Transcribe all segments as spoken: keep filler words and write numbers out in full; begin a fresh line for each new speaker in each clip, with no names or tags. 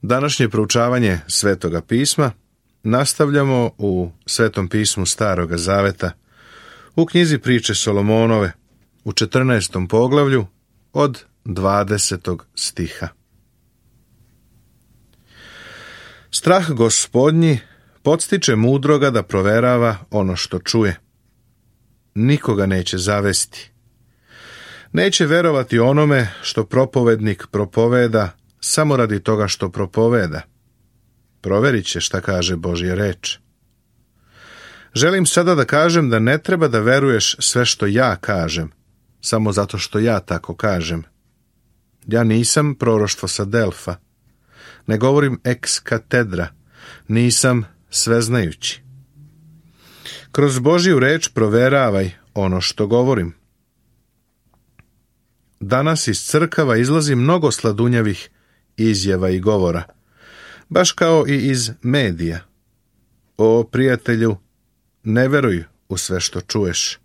Današnje proučavanje Svetoga pisma nastavljamo u Svetom pismu Staroga Zaveta, u knjizi Priče Solomonove, u četrnaestom poglavlju od dvadesetog stiha. Strah Gospodnji podstiče mudroga da proverava ono što čuje. Nikoga neće zavesti. Neće verovati onome što propovednik propoveda samo radi toga što propoveda. Proverit će šta kaže Božja reč. Želim sada da kažem da ne treba da veruješ sve što ja kažem, samo zato što ja tako kažem. Ja nisam proroštvo sa Delfa. Ne govorim ex katedra. Nisam sveznajući. Kroz Božju reč proveravaj ono što govorim. Danas iz crkava izlazi mnogo sladunjavih izjava i govora, baš kao i iz medija. O, prijatelju, ne veruj u sve što čuješ.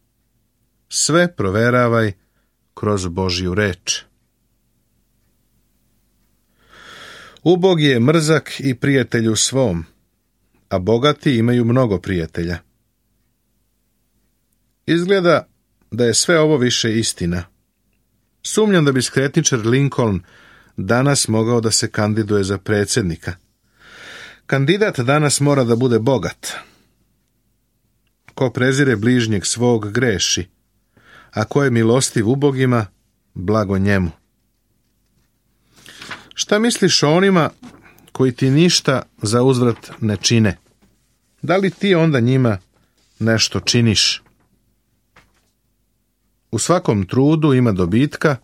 Sve proveravaj kroz Božju reč. Ubog je mrzak i prijatelju svom, a bogati imaju mnogo prijatelja. Izgleda da je sve ovo više istina. Sumnjam da bi skretničar Lincoln danas mogao da se kandiduje za predsjednika. Kandidat danas mora da bude bogat. Ko prezire bližnjeg svog greši, a ko je milostiv ubogima, blago njemu. Šta misliš o onima koji ti ništa za uzvrat ne čine? Da li ti onda njima nešto činiš? U svakom trudu ima dobitka,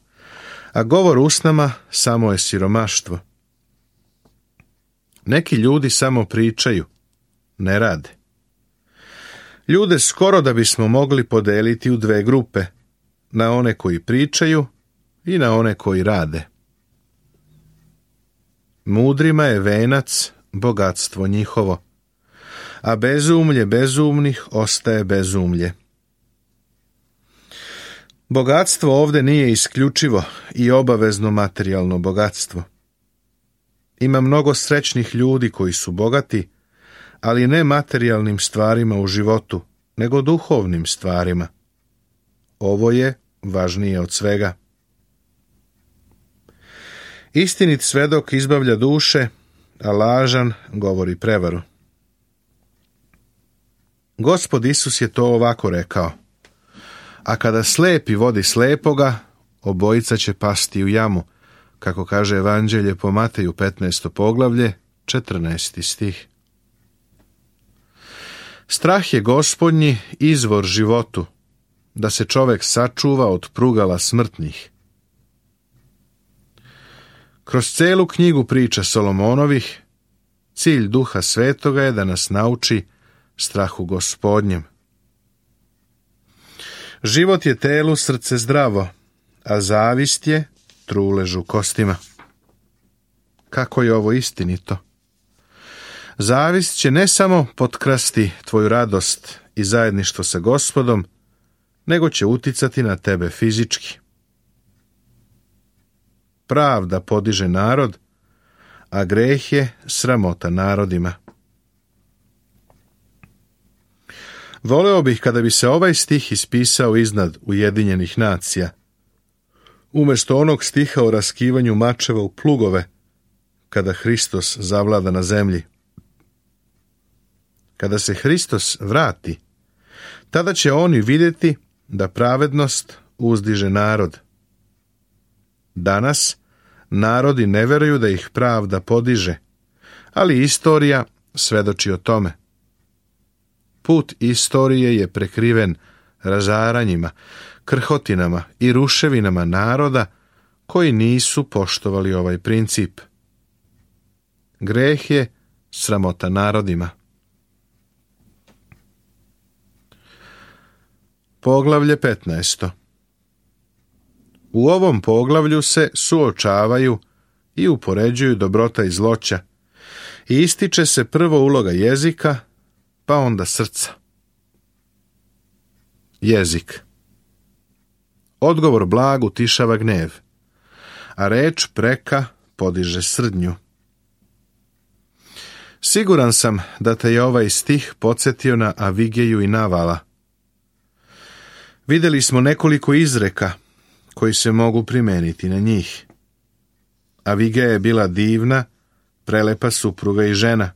a govor usnama samo je siromaštvo. Neki ljudi samo pričaju, ne rade. Ljude skoro da bismo mogli podeliti u dve grupe, na one koji pričaju i na one koji rade. Mudrima je venac bogatstvo njihovo, a bezumlje bezumnih ostaje bezumlje. Bogatstvo ovdje nije isključivo i obavezno materijalno bogatstvo. Ima mnogo srećnih ljudi koji su bogati, ali ne materijalnim stvarima u životu, nego duhovnim stvarima. Ovo je važnije od svega. Istinit svedok izbavlja duše, a lažan govori prevaru. Gospod Isus je to ovako rekao: a kada slepi vodi slepoga, obojica će pasti u jamu, kako kaže Evanđelje po Mateju petnaesto poglavlje, četrnaesti stih. Strah je Gospodnji izvor životu, da se čovek sačuva od prugala smrtnih. Kroz celu knjigu priča Solomonovih, cilj Duha Svetoga je da nas nauči strahu Gospodnjem. Život je telu, srce zdravo, a zavist je trulež u kostima. Kako je ovo istinito? Zavist će ne samo potkrasti tvoju radost i zajedništvo sa Gospodom, nego će uticati na tebe fizički. Pravda podiže narod, a greh je sramota narodima. Voleo bih kada bi se ovaj stih ispisao iznad Ujedinjenih nacija, umjesto onog stiha o raskivanju mačeva u plugove, kada Hristos zavlada na zemlji. Kada se Hristos vrati, tada će oni vidjeti da pravednost uzdiže narod. Danas narodi ne veruju da ih pravda podiže, ali istorija svedoči o tome. Put istorije je prekriven razaranjima, krhotinama i ruševinama naroda koji nisu poštovali ovaj princip. Greh je sramota narodima. Poglavlje petnaesto. U ovom poglavlju se suočavaju i upoređuju dobrota i zloća i ističe se prvo uloga jezika, pa onda srca. Jezik. Odgovor blag utišava gnev, a reč preka podiže srdnju. Siguran sam da te je ovaj stih podsjetio na Avigeju i Navala. Vidjeli smo nekoliko izreka koji se mogu primijeniti na njih. Avigeja je bila divna, prelepa supruga i žena.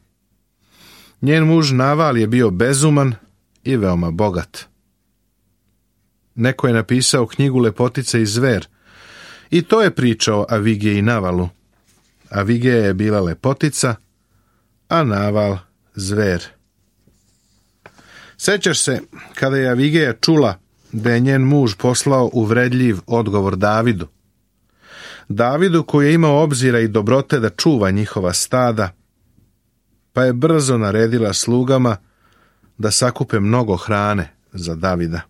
Njen muž Naval je bio bezuman i veoma bogat. Neko je napisao knjigu Lepotica i zver i to je priča o Avigeji i Navalu. Avigeja je bila lepotica, a Naval zver. Sećaš se kada je Avigeja čula da je njen muž poslao uvredljiv odgovor Davidu. Davidu koji je imao obzira i dobrote da čuva njihova stada, pa je brzo naredila slugama da sakupe mnogo hrane za Davida.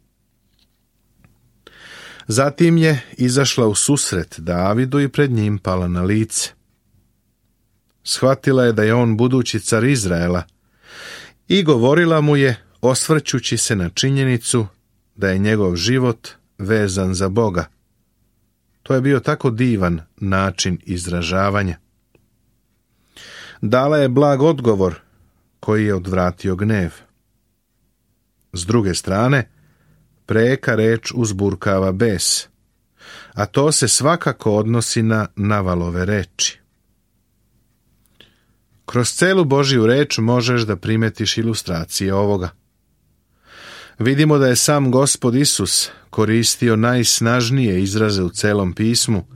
Zatim je izašla u susret Davidu i pred njim pala na lice. Shvatila je da je on budući car Izraela i govorila mu je, osvrćući se na činjenicu da je njegov život vezan za Boga. To je bio tako divan način izražavanja. Dala je blag odgovor koji je odvratio gnjev. S druge strane, preka reč uzburkava bes, a to se svakako odnosi na Navalove reči. Kroz celu Božju reč možeš da primetiš ilustracije ovoga. Vidimo da je sam Gospod Isus koristio najsnažnije izraze u celom pismu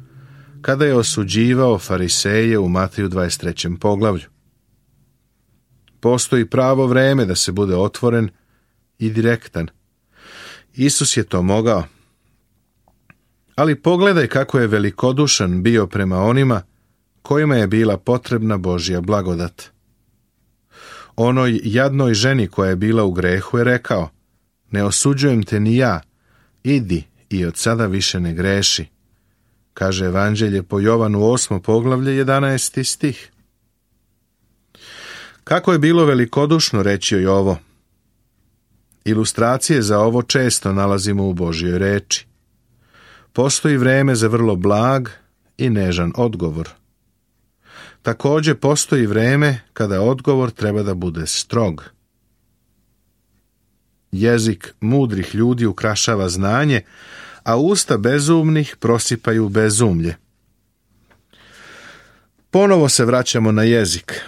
kada je osuđivao fariseje u Mateju dvadeset trećem poglavlju. Postoji pravo vreme da se bude otvoren i direktan. Isus je to mogao. Ali pogledaj kako je velikodušan bio prema onima kojima je bila potrebna Božja blagodat. Onoj jadnoj ženi koja je bila u grehu je rekao: ne osuđujem te ni ja, idi i od sada više ne greši, kaže Evanđelje po Jovanu osmo poglavlje jedanaesti stih. Kako je bilo velikodušno reći joj ovo? Ilustracije za ovo često nalazimo u Božjoj reči. Postoji vreme za vrlo blag i nežan odgovor. Također postoji vreme kada odgovor treba da bude strog. Jezik mudrih ljudi ukrašava znanje, a usta bezumnih prosipaju bezumlje. Ponovo se vraćamo na jezik.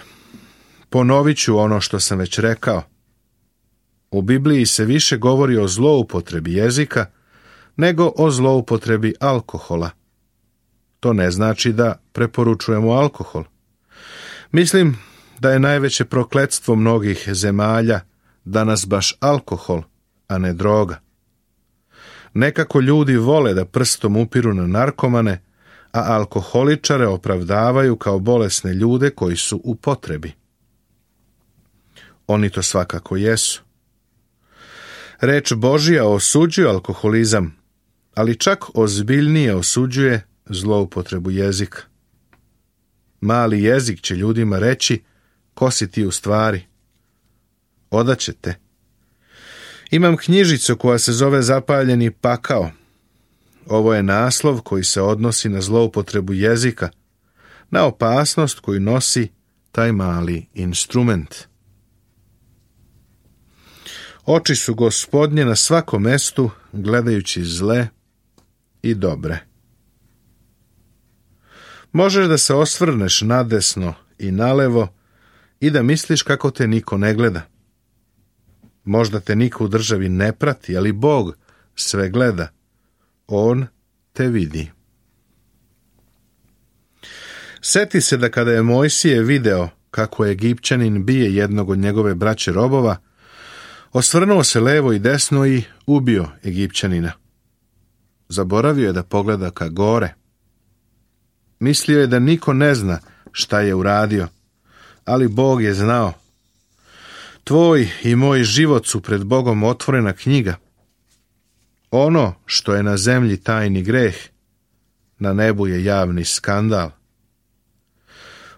Ponovit ću ono što sam već rekao. U Bibliji se više govori o zloupotrebi jezika nego o zloupotrebi alkohola. To ne znači da preporučujemo alkohol. Mislim da je najveće prokletstvo mnogih zemalja danas baš alkohol, a ne droga. Nekako ljudi vole da prstom upiru na narkomane, a alkoholičare opravdavaju kao bolesne ljude koji su u potrebi. Oni to svakako jesu. Reč Božja osuđuje alkoholizam, ali čak ozbiljnije osuđuje zloupotrebu jezika. Mali jezik će ljudima reći: ko si ti u stvari? Odaće te. Imam knjižicu koja se zove Zapaljeni pakao. Ovo je naslov koji se odnosi na zloupotrebu jezika, na opasnost koju nosi taj mali instrument. Oči su Gospodnje na svakom mestu, gledajući zle i dobre. Možeš da se osvrneš nadesno i nalevo i da misliš kako te niko ne gleda. Možda te niko u državi ne prati, ali Bog sve gleda. On te vidi. Seti se da kada je Mojsije video kako Egipćanin bije jednog od njegove braće robova, osvrnuo se levo i desno i ubio Egipćanina. Zaboravio je da pogleda ka gore. Mislio je da niko ne zna šta je uradio, ali Bog je znao. Tvoj i moj život su pred Bogom otvorena knjiga. Ono što je na zemlji tajni greh, na nebu je javni skandal.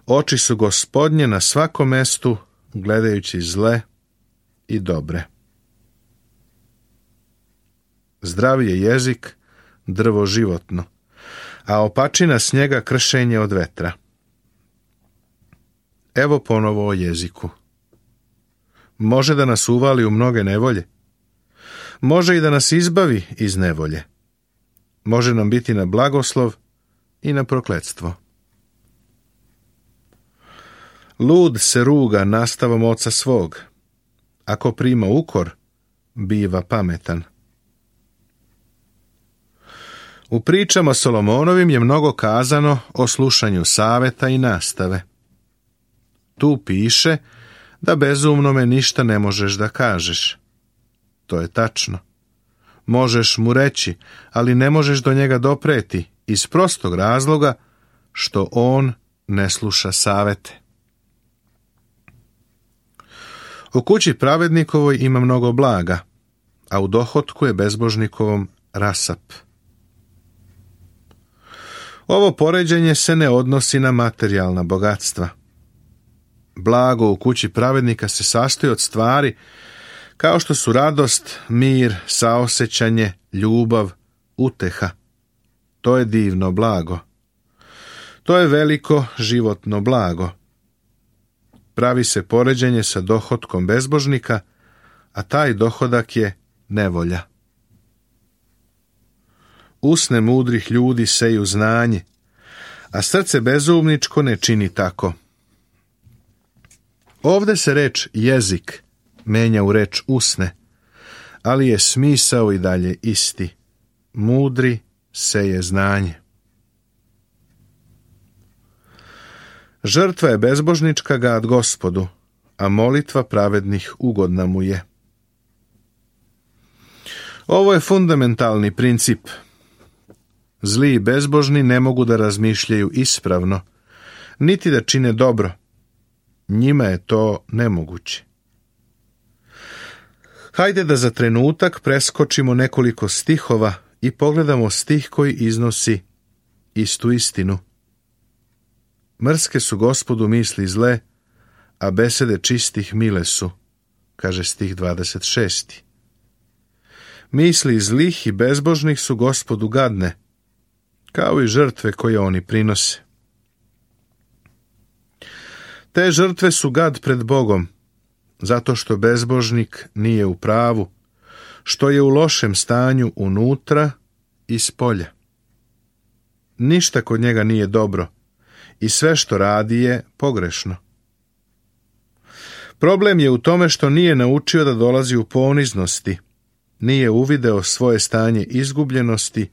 Oči su Gospodnje na svakom mestu, gledajući zle i dobre. Zdrav je jezik, drvo životno, a opačina snijega kršenje od vetra. Evo ponovo o jeziku. Može da nas uvali u mnoge nevolje. Može i da nas izbavi iz nevolje. Može nam biti na blagoslov i na prokletstvo. Lud se ruga nastavom oca svog. Ako prima ukor, biva pametan. U pričama Solomonovim je mnogo kazano o slušanju saveta i nastave. Tu piše da bezumnome ništa ne možeš da kažeš. To je tačno. Možeš mu reći, ali ne možeš do njega dopreti iz prostog razloga što on ne sluša savete. U kući pravednikovoj ima mnogo blaga, a u dohotku je bezbožnikovom rasap. Ovo poređenje se ne odnosi na materijalna bogatstva. Blago u kući pravednika se sastoji od stvari kao što su radost, mir, saosećanje, ljubav, uteha. To je divno blago. To je veliko životno blago. Pravi se poređenje sa dohotkom bezbožnika, a taj dohodak je nevolja. Usne mudrih ljudi seju znanje, a srce bezumničko ne čini tako. Ovde se reč jezik menja u reč usne, ali je smisao i dalje isti. Mudri seje znanje. Žrtva je bezbožnička gad Gospodu, a molitva pravednih ugodna mu je. Ovo je fundamentalni princip. Zli i bezbožni ne mogu da razmišljaju ispravno, niti da čine dobro. Njima je to nemoguće. Hajde da za trenutak preskočimo nekoliko stihova i pogledamo stih koji iznosi istu istinu. Mrske su Gospodu misli zle, a besede čistih mile su, kaže stih dvadeset šesti. Misli zlih i bezbožnih su Gospodu gadne, kao i žrtve koje oni prinose. Te žrtve su gad pred Bogom, zato što bezbožnik nije u pravu, što je u lošem stanju unutra i spolja. Ništa kod njega nije dobro i sve što radi je pogrešno. Problem je u tome što nije naučio da dolazi u poniznosti, nije uvideo svoje stanje izgubljenosti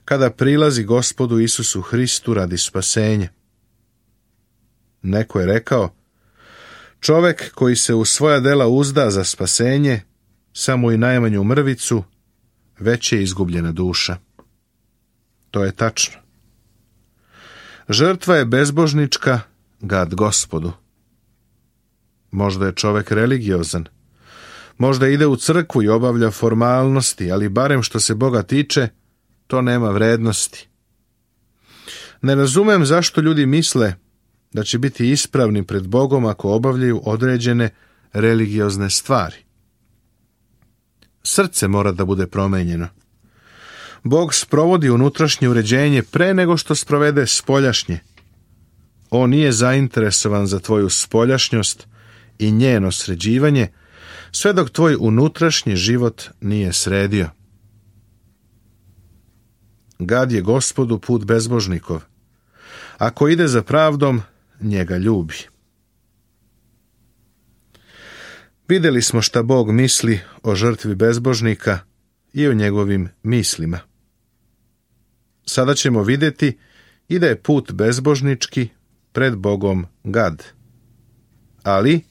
kada prilazi Gospodu Isusu Hristu radi spasenja. Neko je rekao, čovek koji se u svoja dela uzda za spasenje, samo i najmanju mrvicu, već je izgubljena duša. To je tačno. Žrtva je bezbožnička gad Gospodu. Možda je čovek religiozan, možda ide u crkvu i obavlja formalnosti, ali barem što se Boga tiče, to nema vrednosti. Ne razumem zašto ljudi misle da će biti ispravni pred Bogom ako obavljaju određene religiozne stvari. Srce mora da bude promenjeno. Bog sprovodi unutrašnje uređenje pre nego što sprovede spoljašnje. On nije zainteresovan za tvoju spoljašnjost i njeno sređivanje, sve dok tvoj unutrašnji život nije sredio. Gad je Gospodu put bezbožnikov. Ako ide za pravdom, njega ljubi. Vidjeli smo šta Bog misli o žrtvi bezbožnika i o njegovim mislima. Sada ćemo vidjeti i da je put bezbožnički pred Bogom gad. Ali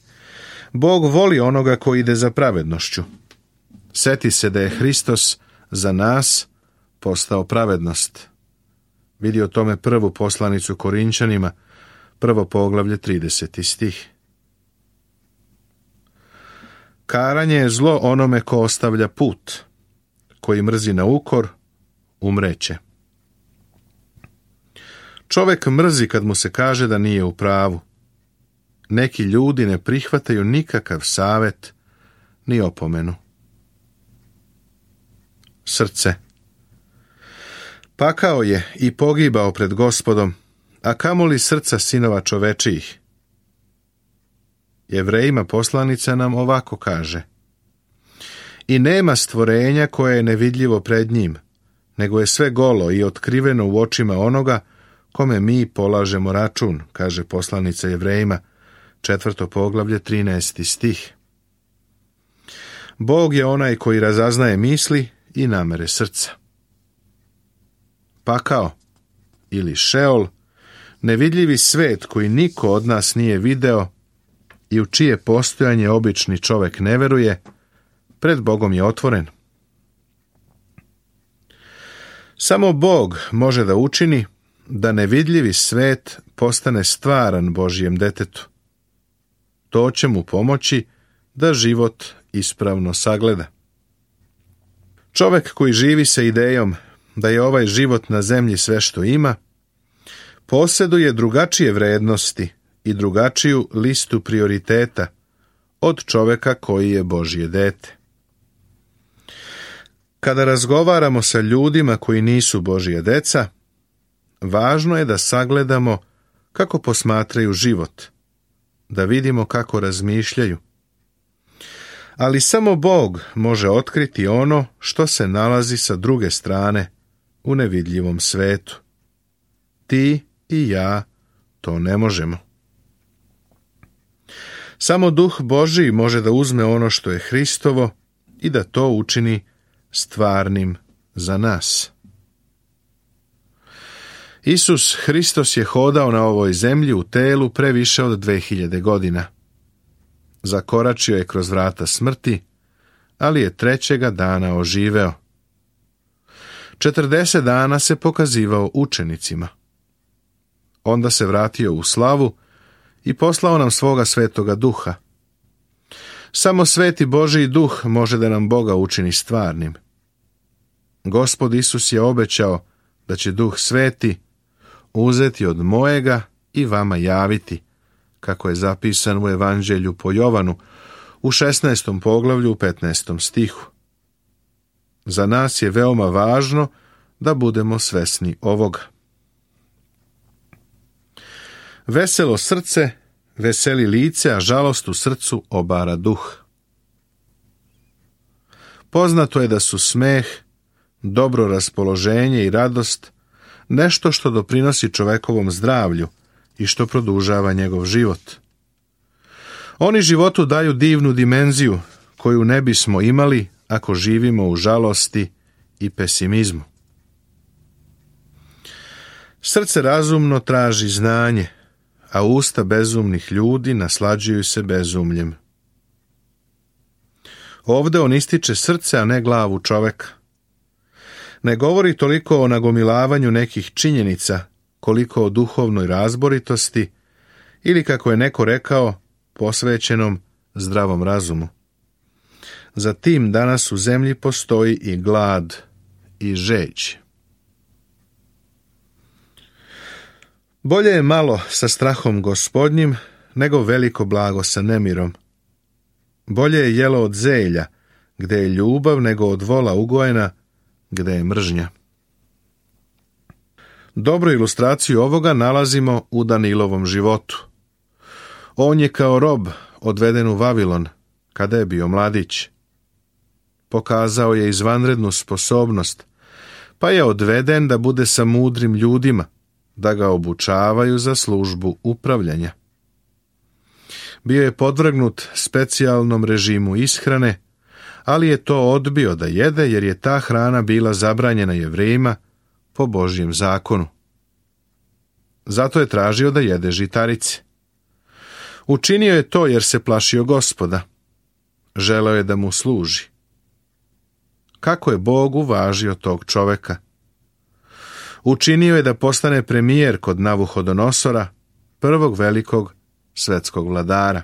Bog voli onoga koji ide za pravednošću. Seti se da je Hristos za nas postao pravednost. Vidi o tome prvu poslanicu Korinčanima, prvo poglavlje, trideseti stih. Karanje je zlo onome ko ostavlja put, koji mrzi na ukor, umreće. Čovek mrzi kad mu se kaže da nije u pravu. Neki ljudi ne prihvataju nikakav savet ni opomenu. Srce. Pakao je i pogibao pred Gospodom, a kamoli srca sinova čovečijih. Jevrejima poslanica nam ovako kaže: I nema stvorenja koje je nevidljivo pred njim, nego je sve golo i otkriveno u očima onoga kome mi polažemo račun, kaže poslanica Jevrejima, četvrto poglavlje, trinaesti stih. Bog je onaj koji razaznaje misli i namere srca. Pakao ili Šeol, nevidljivi svet koji niko od nas nije video i u čije postojanje obični čovjek ne veruje, pred Bogom je otvoren. Samo Bog može da učini da nevidljivi svet postane stvaran Božjem detetu. To će mu pomoći da život ispravno sagleda. Čovjek koji živi sa idejom da je ovaj život na zemlji sve što ima, posjeduje drugačije vrednosti i drugačiju listu prioriteta od čovjeka koji je Božje dete. Kada razgovaramo sa ljudima koji nisu Božje deca, važno je da sagledamo kako posmatraju život, da vidimo kako razmišljaju. Ali samo Bog može otkriti ono što se nalazi sa druge strane u nevidljivom svetu. Ti i ja to ne možemo. Samo Duh Božji može da uzme ono što je Hristovo i da to učini stvarnim za nas. Isus Hristos je hodao na ovoj zemlji u telu previše od dve hiljade godina. Zakoračio je kroz vrata smrti, ali je trećega dana oživeo. četrdeset dana se pokazivao učenicima. Onda se vratio u slavu i poslao nam svoga svetoga duha. Samo sveti Božji duh može da nam Boga učini stvarnim. Gospod Isus je obećao da će Duh Sveti uzeti od mojega i vama javiti, kako je zapisan u Evanđelju po Jovanu u šesnaestom poglavlju u petnaestom stihu. Za nas je veoma važno da budemo svesni ovoga. Veselo srce veseli lice, a žalost u srcu obara duh. Poznato je da su smeh, dobro raspoloženje i radost nešto što doprinosi čovekovom zdravlju i što produžava njegov život. Oni životu daju divnu dimenziju koju ne bismo imali ako živimo u žalosti i pesimizmu. Srce razumno traži znanje, a usta bezumnih ljudi naslađuju se bezumljem. Ovde on ističe srce, a ne glavu čoveka. Ne govori toliko o nagomilavanju nekih činjenica, koliko o duhovnoj razboritosti ili, kako je neko rekao, posvećenom zdravom razumu. Za tim danas u zemlji postoji i glad i žeđ. Bolje je malo sa strahom Gospodnjim nego veliko blago sa nemirom. Bolje je jelo od zelja, gde je ljubav, nego od vola ugojena, gde je mržnja. Dobru ilustraciju ovoga nalazimo u Danilovom životu. On je kao rob odveden u Vavilon kada je bio mladić. Pokazao je izvanrednu sposobnost, pa je odveden da bude sa mudrim ljudima, da ga obučavaju za službu upravljanja. Bio je podvrgnut specijalnom režimu ishrane, ali je to odbio da jede jer je ta hrana bila zabranjena Jevrejima po Božjem zakonu. Zato je tražio da jede žitarice. Učinio je to jer se plašio Gospoda. Želeo je da mu služi. Kako je Bog uvažio tog čoveka? Učinio je da postane premijer kod Navuhodonosora, prvog velikog svetskog vladara.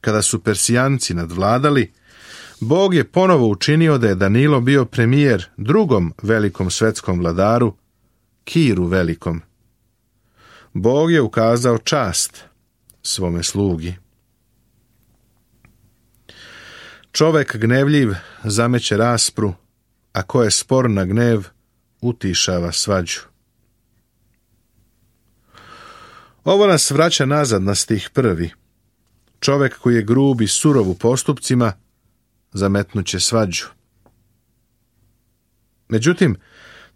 Kada su Persijanci nadvladali, Bog je ponovo učinio da je Danilo bio premijer drugom velikom svetskom vladaru, Kiru velikom. Bog je ukazao čast svome slugi. Čovek gnevljiv zameće raspru, a ko je spor na gnev, utišava svađu. Ovo nas vraća nazad na stih prvi. Čovek koji je grub i surov u postupcima, zametnuće svađu. Međutim,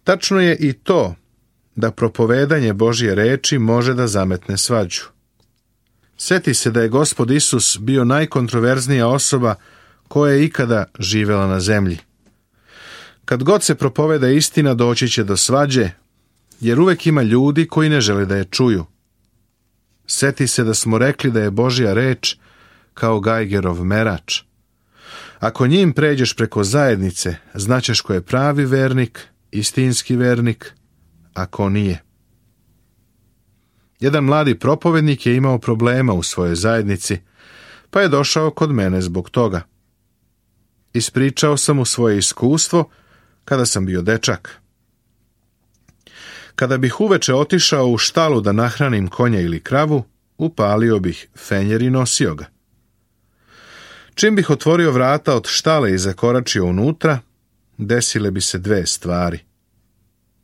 tačno je i to da propovedanje Božje reči može da zametne svađu. Sjeti se da je Gospod Isus bio najkontroverznija osoba koja je ikada živela na zemlji. Kad god se propoveda istina, doći će do svađe, jer uvek ima ljudi koji ne žele da je čuju. Sjeti se da smo rekli da je Božja reč kao Gajgerov merač. Ako njim pređeš preko zajednice, znaćeš ko je pravi vernik, istinski vernik, a ko nije. Jedan mladi propovednik je imao problema u svojoj zajednici, pa je došao kod mene zbog toga. Ispričao sam mu svoje iskustvo kada sam bio dečak. Kada bih uveče otišao u štalu da nahranim konja ili kravu, upalio bih fenjer i nosio ga. Čim bih otvorio vrata od štale i zakoračio unutra, desile bi se dve stvari.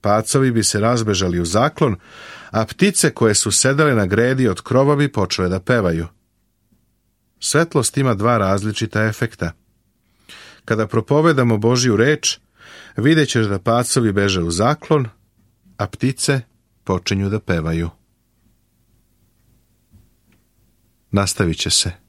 Pacovi bi se razbežali u zaklon, a ptice koje su sedele na gredi od krova bi počele da pevaju. Svetlost ima dva različita efekta. Kada propovedamo Božju reč, vidjet ćeš da pacovi beže u zaklon, a ptice počinju da pevaju. Nastavit će se.